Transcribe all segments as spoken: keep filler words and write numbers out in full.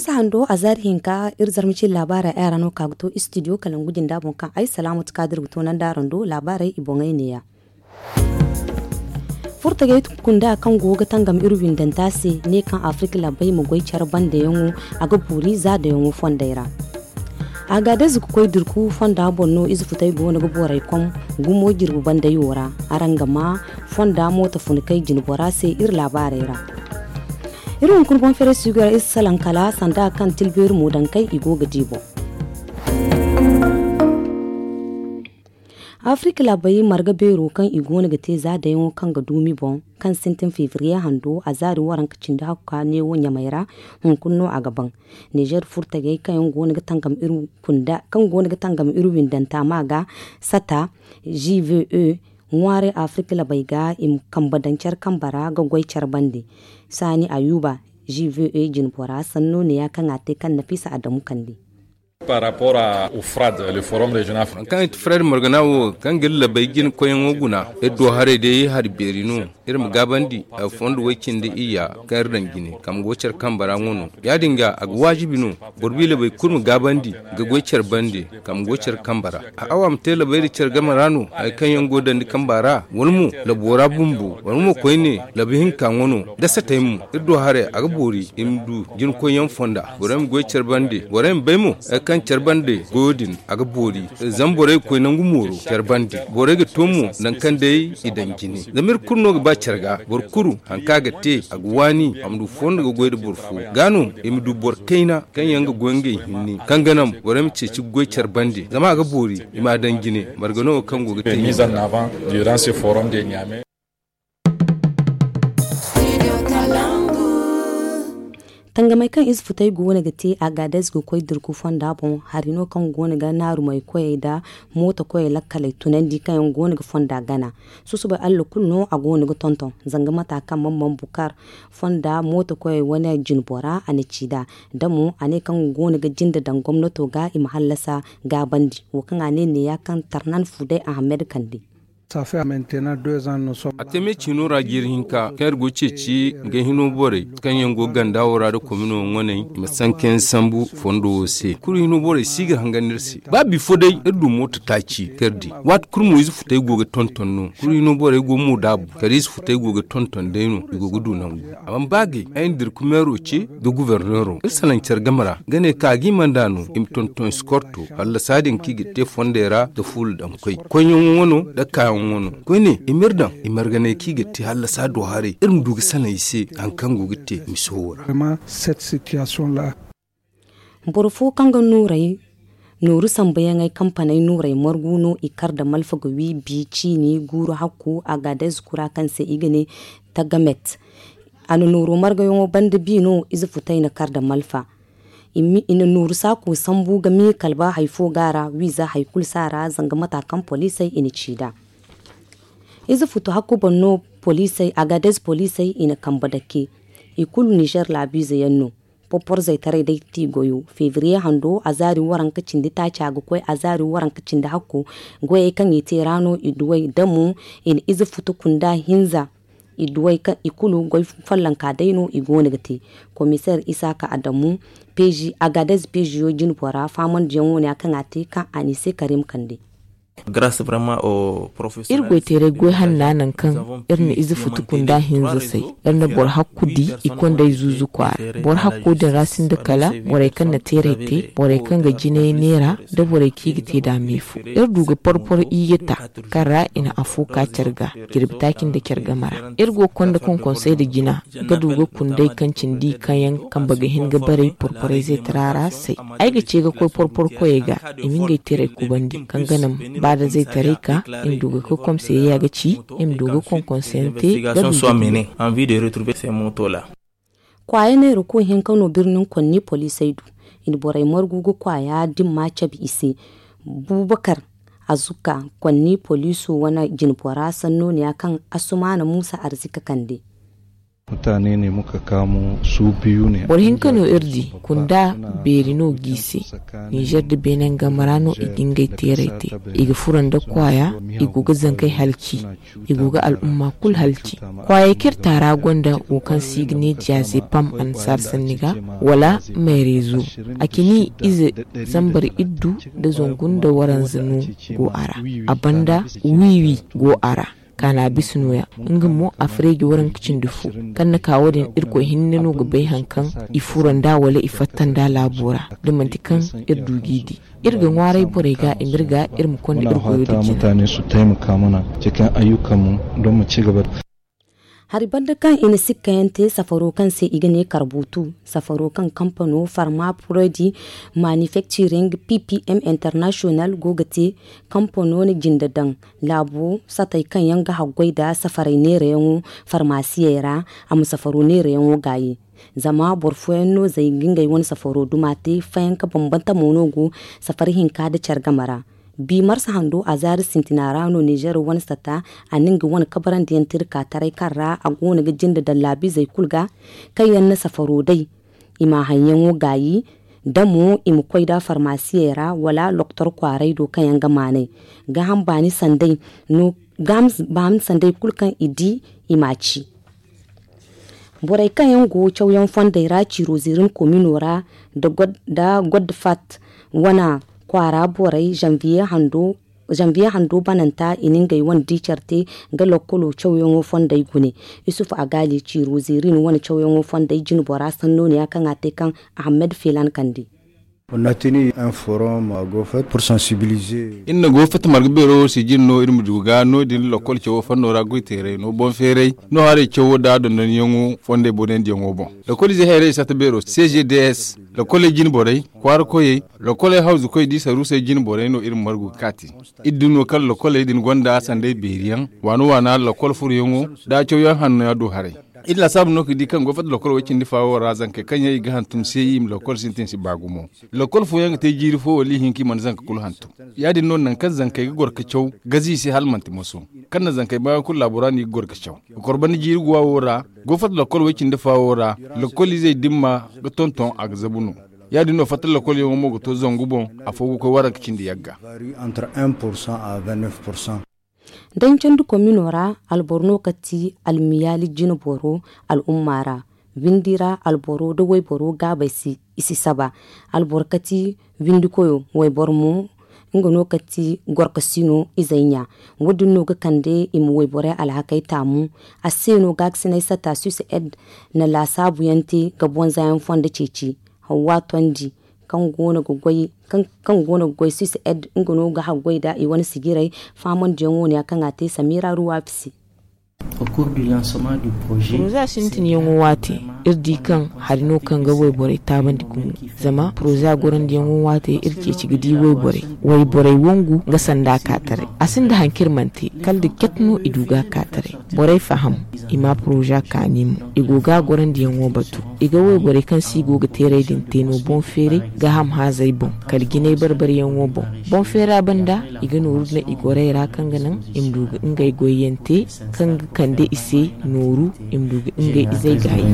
Hando a zaari hinka iri zarma cine laabaarey ay ra no ka ga to istidiyo kalangu jinda boŋ kaŋ ay salaamatu kaadir ga to nandi araŋ do laabaarey i boŋey neeya. Furtagey kunda kaŋ go ga tangam iri windanta se ne kaŋ afirka laabey ma goy care bandeyaŋo a ga boori zaadayaŋo fondey ra. Agaadez ga koy dirku fonda boŋ no ize futey go no ga borey kom gumo jirbi bandeyo ra. Araŋ ga ma fonda mooto funkey jinbora se iri laabaarey ra. Iri hunkuna boŋ feere sugu ra iri salaŋ kala sanda kaŋ tilbeeri moodankey i go ga di boŋ. Afirka laabey marga beero kaŋ i go no ga te za dayaŋo kaŋ ga duumi boŋ kaŋ sintin febriye hando a zaari waranka cindi hakka neewo ɲamey ra. Hunkuna no a ga baŋ nizer furtagey kaŋ yaŋ go no ga tangam iri windanta ma ga sata gve ŋwaaray afirka laabey ga i ma kambe daŋ care kambe ra ga goy care bande. Saani ayuba gve jinbora sanno neeya kaŋ a te kaŋ nafisa adamu kande. Par rapport à ufrad le forum régional. Kaŋ i ti fred morgana wo kaŋ ga iri labay jina koyyaŋo guna iri do haray day hari beeri no. Iri ma gaabandi a fondo way cindi iyya kaŋ iri daŋ jine kaŋ go care kambe ra ŋo no. Ya- din ga a ga waajibi no boro bi labay kulu ma gaabandi ga goy care bande kaŋ go care kambe ra. A awa ma te labay da care game ra no hari kaŋ yaŋ go dandi kambe ra wala mo labo ra bumbo wala mo koyne labu hinka ŋo no. Da satay mo iri do haray a ga boori i ma du jina koyyaŋ fonda borey ma goy care bande borey ma bay mo hari kaŋ care bande goyo din a ga boori. Zama borey ga koy nangu mooro care bande borey ga to mo nangu kaŋ day i daŋ jine. Zama iri kulu no ga ba care ga boro kulu hari kaŋ a ga te a ga waani a ma du fondo ga goy nda boro fo ga no i ma du boro kayna kaŋ yaŋ ga goy ngey hinne kaŋ ga naŋ borey ma ceeci ga goy care bande zama a ga boori i m'a daŋ jine. Margano wo kaŋ go ga te ɲamey ra. Tangamey kaŋ ize futey go no ga te agaadez ga koy dirku fonda boŋ hari no kaŋ go no ga naarumey koyey nda mooto koyey lakkaley tunandi kaŋ yaŋ go no ga fonda gana. Susubay allah kulu no a go no ga tonton zanga mata kaŋ man man bukar fonda mooto koyey wane jinbora a na ci nd'a. Da mo a ne kaŋ go no ga jinde daŋ gomnato ga i ma hallasa gaabandi wo kaŋ a ne neeya kaŋ tarnan fuday ahamed kande. A te me ciino ra jiiri hinka kaŋ iri go ceeci ga hino borey kaŋ yaŋ go ganda wo ra nda komino ŋwaney i ma sanka yaŋ sambu fondo wo se kulu hino borey si ga hangan iri se. Ba bifo day iri du mooto taaci kaŋ iri di waati kulu mo ize futey go ga tonton no kulu hino borey go mo daabu kala ize futey go ga tonton day no i go ga du nangu. Amma ba gay ay na dirku meero ce nda guberneero iri salaŋ care game ra ga ne kaŋ a ga i mana nd'a no i ma tonton eskorto hallasa din kaŋ i ga te fondey ra nda fuula daŋ koy koyyaŋo wano nda kaayaŋo wano koyne i m'iri daŋ i marganay kaŋ i ga te hallasa do haray iri ma du ga salaŋ i se hari kaŋ go ga te miso wo ra. Boro fo kaŋ ga nooru sambuyaŋey kampaney nooray margu no i kar nda malfa ga wi bi ciini guuru hakku agaadez kura kaŋ se i ga ne tagamet. A na nooro margayaŋo banda bi no ize futay na kar nda malfa. I na nooru saako sambu ga miikalba hari fo ga a ra wiiza hari kulu si a ra zanga mata kaŋ poliisey i na ci nd'a. Ize futu hakku boŋ no poliisey agaadez poliisey i na kambe dake. I kulu nizer laabiize yaŋ no. Porporzey taray day ti goyo febriye hando azaari waranka cindi taaca ga koy azaari waranka cindi hakku. Goyey kaŋ i te ra no i duwey da mo i na ize futu kunda hinza. I duwey kaŋ i kulu goy follonka day no i go no ga te. Komiseer isaaka adamu peezi agaadez peeziyo jinbora faamandiyaŋ wo- ne ya kaŋ a te kaŋ a n'i se karim kande. Iri goyteeray goy hanna nangu kaŋ iri na ize futu kunda hinza say. Iri na boro hakku di i kondey zuuzu kwaara boro hakko din ra sinda kala borey kaŋ na teeray te borey kaŋ ga jinay neera nda borey kaŋ i ga te nd'a meefo. Iri du ga porporo iyye ta kaŋ ra i na afo ka care ga jirbi taaci nda care game ra. Iri go ga konda konkonsey nda jina ga du ga kunday kaŋ cindi kaŋ yaŋ kambe ga hin ga baray porporey zeetara ra say. Ay ga ce ga koy porporo koyey ga i ma ngey teeray kubandi kaŋ ga naŋ ba da zeetaray ka i ma du ga koy komseeya ga ci i ma du ga konkonsey yaŋ te ga du ga du. Kwaaya neera koy hinka no birnin konni poliisey du. I na borey margu ga kwaaya dimma cabe i se. Bubakar azuka konni poliiso wane jinbora sanno ne ya kaŋ asumaana muusa arzika kande. Boro hinka no iri di kunda beeri no g'i se. Nizer da beene game ra no i ga ngey teeray te. I ga furo nda kwaaya, i go ga zankey halci, i go ga al'umma kulu halci. Kwaayey kaŋ iri taara gonda wo kaŋ se i ga ne diazepam annasaara sanni ga, wala meereezo. A cini ize zambar iddu nda zangu nda waranza no go a ra. A banda wiiwi go a ra. Kaana bisa nooya, nga mo a fareeji waranka cindi fo. Kaŋ na ka wo- din, irkoy hinne no ga bay hari kaŋ i furo nd'a wala i fatta nd'a laabo ra, da manti kaŋ iri du g'i di. Iri ga ŋwaaray borey ga i ma iri ga iri ma konda iri goyo da jina. Mutane su taimaka mana cikin ayyukanmu don mu ci gaba da. Hari banda kaŋ i na sikkayaŋ te safaro kaŋ se i ga ne karbutu, safaro kaŋ kampano farma prodi manufacturing ppm international go ga te. Kampano na jinde daŋ laabo satey kaŋ yaŋ ga haggoy nda safaray neerayaŋo farmasiyey ra. A ma safaro neerayaŋo gaayi. Zama boro fooyaŋ no zay ga ngey wane safaro duma te fayanka bambantamo no go safari hinka nda care game ra. Bi marsa hando a zaari sintina ra no nizer wane sata a na nga wane kabarandiyaŋ te iri ka taray kaŋ ra a go no ga jinde daŋ laabiizey kulu ga kaŋ yaŋ na safaro day. I ma haŋyaŋo gaayi da mo i ma koy nd'a farmasiyey ra wala lokotor kwaaray do kaŋ yaŋ ga maanay. Gaaham baani sanday no gaaham baani sanday kulu kaŋ i di i m'a ci. Borey kaŋ yaŋ go cawyaŋ fondey ra ciiro ziirin komino ra nda godde fat wane kwaara borey zanviye hando bananta i na ngey wane di care te ga lokkolo cawyaŋo fondey gune. Isuf agaali ciiro ziirin wane cawyaŋo fondey jinbora sanno ne ya kaŋ a te kaŋ ahammed feelan kande. Iri na go fatta marga beero wo se jine no iri ma du ga no- din lakkol cawo fanno ra goy teeray no boŋ feeray no haray cawo nda dondonyaŋo fondey boonandiyaŋo boŋ. Lakkol ize hayray sata beero cgds lakkoley jine borey kwaara koyey lakkoley hawzu koy da i saruusey jine borey no iri ma margu ga kaati. Iri din no kaŋ lakkoley din gonda sanday beeriyaŋ waana waana lakkol furoyaŋo nda cawyaŋ hanno ya du haray. Iri laasaabu no ga di kaŋ go fatta lakkol way cindi faawo ra zankey kaŋ yaŋ i ga hantum se i ma lakkol sintin si ba gumo. Lakkol fooyaŋ ga te jiiri fo wala ihinka i mana zanka kulu hantum. Ya- din no nangu kaŋ zankey ga goro ga caw gazi i se hala manti moso. Kaŋ na zankey baayaŋ kulu laabo ra no i ga goro ga caw ga kor banda jiiri guwa wo ra. Go fatta lakkol way cindi faawo ra lakkol izey dimma ga tonton a ga zabu no. Ya- din no fatta lakkolyaŋo mo ga to zangu boŋ. Afo ga koy waranka cindi yagga. Dancandi komino ra alboro no ka ti almiyaali jinboro al'umma ra. Windi ra alboro nda wayboro gaabey si i si saba. Alboro ka ti windikoyo wayboro mo nga no ka ti gorkasino izey ɲa. Wo- din no ga kande i ma wayborey alhakey taamu. A se no gaakasiney sata suisse ed na laasaabuyaŋ te ga bonzayaŋ fondo ceeci. Hawwa tondi kaŋ goono ga goy swiss ed nga no ga haggoy nda i wane sijirey faamandiyaŋo ne ya kaŋ a te samira ruwaafi se. Poroza sintinyaŋo waate iri di kaŋ hari no kaŋ ga wayborey taabandi gumo. Zama poroza gorandiyaŋo waate iri ceeci ga di wayborey wayborey wangu nga sanda ka taray. A sinda hari kaŋ iri mana te kala da cat no i du ga ka taray. Borey faham i ma poroza kaani mo i go ga gorandiyaŋo batu. I ga wayborey kaŋ se i go ga teeray din te no boŋ feeray gaaham haazey boŋ kala jinay barbaryaŋo boŋ. Boŋ feera banda i ga nooru daŋ i gorey ra kaŋ ga naŋ i ma du ga ngey goyyaŋ te kaŋ ga kande i se nooru i ma du ga ngey izey gaayi.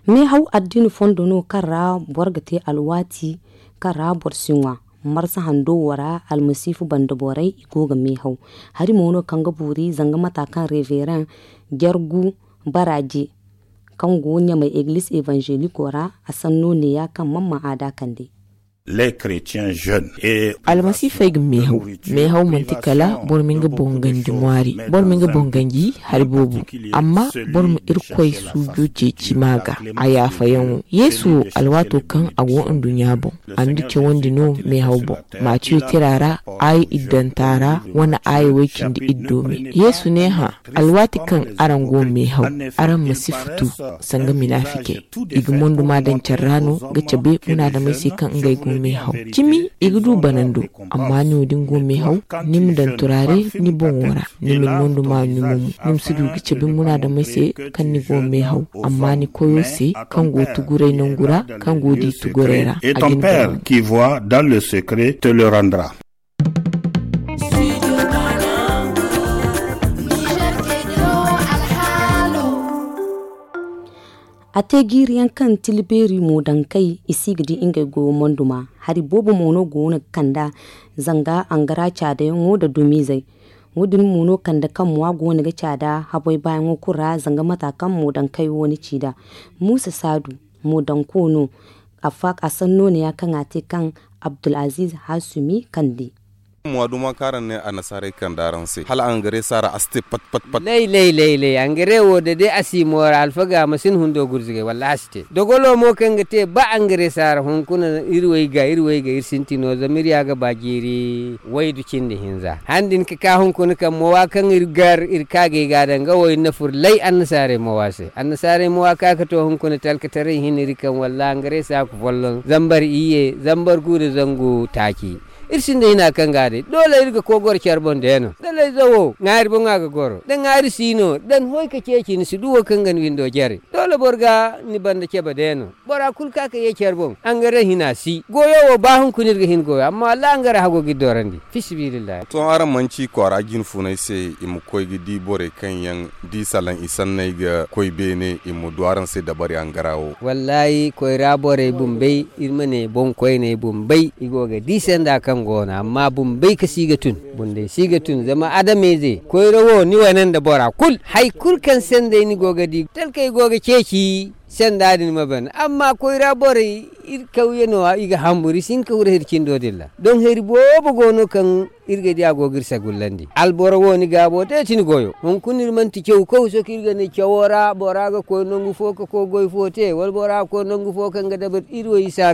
Meehaw addina fondo no kaŋ ra boro ga te alwaati kaŋ ra boro si ŋwa. Marsa hando wo ra almasiifu banda borey i go ga meehaw. Hari mo no kaŋ ga boori zanga mata kaŋ revereŋ jargu baraaje kaŋ go ɲamay egliz evanzeliko ra a sanno neeya kaŋ man ma aada kande. Almasiifey ga meehaw. Meehaw manti kala boro ma nga boŋ ganji ŋwaari. Boro ma nga boŋ ganji hari boobo. Amma boro ma irkoy suujo ceeci ma ga a yaafayaŋo yeesu wo alwaato kaŋ a go nduɲɲa boŋ a na iri cawandi no meehaw boŋ. Matiyo tira ra aaya iddanta ra wane aaya way cindi iddo me yeesu ne hã. Alwaati kaŋ araŋ go meehaw araŋ ma si futu sanga minaafikey. I ga monduma daŋ care ra no ga cabe munaadamey se kaŋ ngey go meehaw. Cimi i ga du banando. Amma ni wo da ni go meehaw ni ma daŋ turaare ni boŋo ra. Ni ma ni monduma ɲumo mo ni ma si du ga cabe munaadamey se kaŋ ni go meehaw amma ni koyo se kaŋ go tuguray nangu ra kaŋ go di tuguray ra. A ga ni daŋ. Qui voit dans le secret te le rendra. A te jiiri yaŋ kaŋ tila beeri mo daŋ kay i si ga di ngey goyo monduma. Hari boobo mo no go no ga kand'a zanga angara caadayaŋo nda dumiizey. Wo- din mo no kande kaŋ mo a go no ga caada haboy baayaŋo kulu ra zanga mata kaŋ mo daŋ kay wo ni ci nd'a. Muusa saadu mo daŋ ko no. A sanno ne ya kaŋ a te kaŋ abdulaziiz haasumi kande. Mo a duma kaŋ araŋ ne annasaarey kande araŋ se hala angare saara a si te pat pat pat. Lay lay lay lay angare wo da day a si moora alfaga ma si ni hundo gurzugay wallaahi a si te. Dogolo mo kaŋ ga te ba angare saara hunkuna iri way ga iri way ga iri sinti no zama iri ya ga ba jiiri waydu cindi hinza han din ga ka hunkuna kaŋ moowa kaŋ iri gar iri kaagay ga a daŋ ga wo iri na fur lay annasaarey moowa se annasaarey moowa ka ga to hunkuna talkataray hin iri kaŋ wallaahi angare saaku folloŋ zambar iyye zambar gu nda zangu taaci. Iri sinda hina kaŋ ga a day doole iri ga koy goro care boŋ day no da layza wo ŋaari boŋ a ga goro da ŋaari si no da ni hoy ka ceeci ni si du wo kaŋ ga ni windo jare. Doole boro ga ni banda cabe day no bora kulu ka ka ye care boŋ angare hina si goyo wo ba hunkuna iri ga hin goyo amma wallaahi angare hago ga iri doorandi. Fi sabiilillahi. To araŋ manti kwaara jinfuney se i ma koy ga di borey kaŋ yaŋ di salaŋ i sanney ga koy beene i ma du araŋ se dabari angara wo. Wallaahi koyra borey bumbey iri ma ne boŋkoyney bumbey i go ga di sanda kaŋ go no amma bumbey ka si ga tun. Bundey si ga tun zama adameyze koyra wo ni wane nda bora kulu hari kulu kaŋ sanday ni go ga di talkey go ga ceeci. Sanda din ma ban amma koyra borey iri kawye no- ya i ga hamburu i si hin ka furo hari cindo din ra. Doŋ hari boobo go no kaŋ iri ga di a go ga iri sagullandi alboro wo ni gaabo day ti ni goyo hunkuna iri manti caw kaw sohõ kaŋ iri ga ne cawo ra bora ga koy nangu fo ka koy goy fo te wala bora ga koy nangu fo kaŋ ga dabari iri wo isa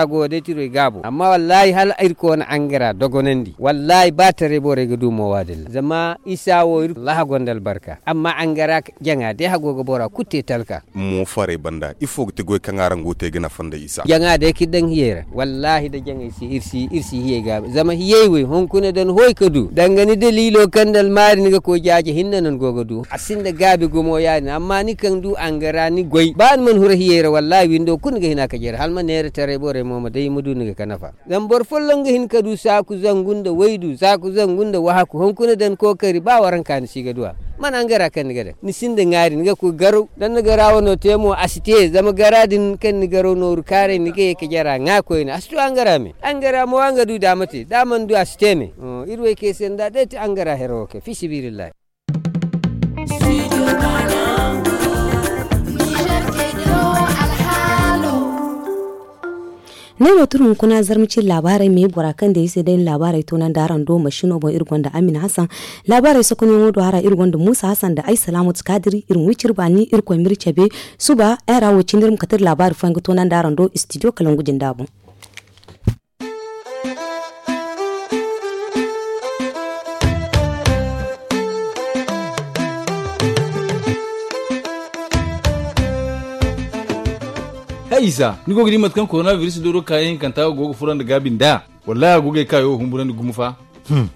goyo day ti iri wo i gaabo amma wallaahi hala iri koona angara dogonandi wallaahi ba taray borey ga du moowa din ra zama isa wo iri wallaahi a gonda albarka amma angara jaŋa day hago ga bora kulu te talka. Mo farey banda ifo ga ti goy kaŋ araŋ go ga te ga nafa nda isa. Jaŋa day ka iri daŋ hiyey ra wallaahi da jaŋey si iri si hiyey gaabi zama hiyey wey hunkuna da ni hoy ka du danga ni daliilo kaŋ nda almaari ni ga koy jaaje hinne no ni go ga du a sinda gaabi gumo ya- din amma ni kaŋ du angara ni goy ba ni mana huru hiyey ra wallaahi windo kulu ni ga hina ka jare hala ma neera taray borey mo ma day ma du ni ga ka nafa. Zama boro folloŋ ga hin ka du saaku zangu nda waydu saaku zangu nda wahaku hunkuna da ni kookari ba waranka ni si ga du a. Mana angara kaŋ ni ga daŋ ni sinda ŋaari ni ga koy garaw da ni na garawo no te mo a si te zama gara din kaŋ ni garaw nooru kaaray ni ga ye ka jara ŋwa koyne a si to angara me angara mo a nga du da a ma te da a mana du a si te me. Iri wo ay kay se nda day ti angara hero wo kay fi sabiilillahi. Ne no turu hunkuna zarma cine laabaarey me bora kaŋ day iri se day na laabaarey toonandi araŋ do masino boŋ iri gonda amina hasan. Laabaarey sokonyaŋo do hara iri gonda muusa hasan nda ay salaamatu kaadiri iri ma wi cire baani irkoy ma iri cabe. Suba ay ra wo cine iri ma kate iri laabaari fooyaŋ ga toonandi araŋ do istidiyo kalangu jinda boŋ. Hay isa ni go ga di mate kaŋ korona biris dooro kaayaŋ hinkanta go ga furo nda gaabi nda? Wallahi a go ga ay kaayo humburandi gumo fa.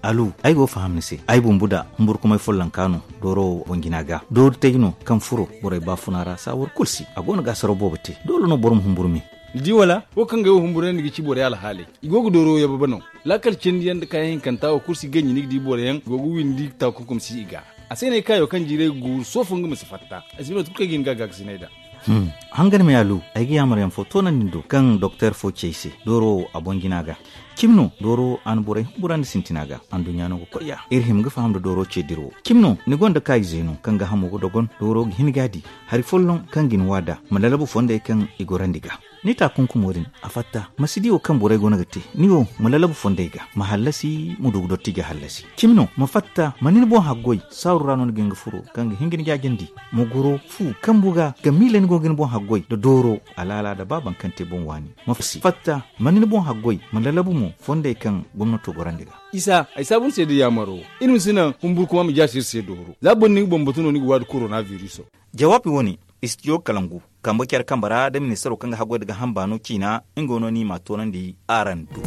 Alu, ay go ga faham ni se. Ay bumbu da humburkumay follonka no dooro wo boŋ jina ga doori tay no kaŋ furo borey baafuna ra saawar kulu si a go no ga asaro boobo te doole no boro ma humburu me. Ni di wala wo kaŋ ga ay wo humburandi ga ci borey alhaaley. I go ga dooro yababa no. Laakal cindi yaŋ nda kaayaŋ hinkanta wo kulu si ganji ni ga di boro yaŋ go ga windi takunkum si i ga. A se no ay kaayo kaŋ jiiray ga guuru soofo nga ma si fatta. Ay si bay mate kulu kaŋ ay ga hin ga a gaakasinay nd'a. Hangan me alu, ay ga yaamar yaŋ fo toonandi ni do kaŋ doktor fo ci ay se dooro wo a boŋ jina ga. Cimi no dooro wo a na borey humburandi sintina ga anduɲɲa no ga koy ya iri hima ga faham nda dooro ce dira wo. Cimi no ni gonda kaayize no kaŋ ga hamo ga dogon dooro ga hin ga a di hari folloŋ kaŋ ga ni wa nd'a ma lalabu fondey kaŋ i gorandi ga. Ni taakunkumo din a fatta ma si di wo kaŋ borey go no ga te. Ni wo ma lalabu fondey ga ma hallasi ma du ga dotti ga hallasi. Cimi no ma fatta ma ni ni boŋ haggoy saaru ra no ni ga hin ga furo kaŋ ga hin ga ni jaajandi. Ma goro fu kambu ga ga miila ni go ga ni boŋ haggoy nda dooro alaala nda ba baŋ kaŋ te boŋ waani. Ma fatta ma ni ni boŋ haggoy ma lalabu mo fondey kaŋ gomnato gorandi ga. Isa ay saabu ni se da yaamaro iri ma si naŋ humburkuma ma jaasi iri se dooro za boro ni ga bambatu no ni ga waadi korona viriso. Jawaabi wo-ne istidiyo kalangu kambe care kambe ra da ministaro kaŋ ga haggoy nda ga hamba no ciina nga no ni m'a toonandi araŋ do.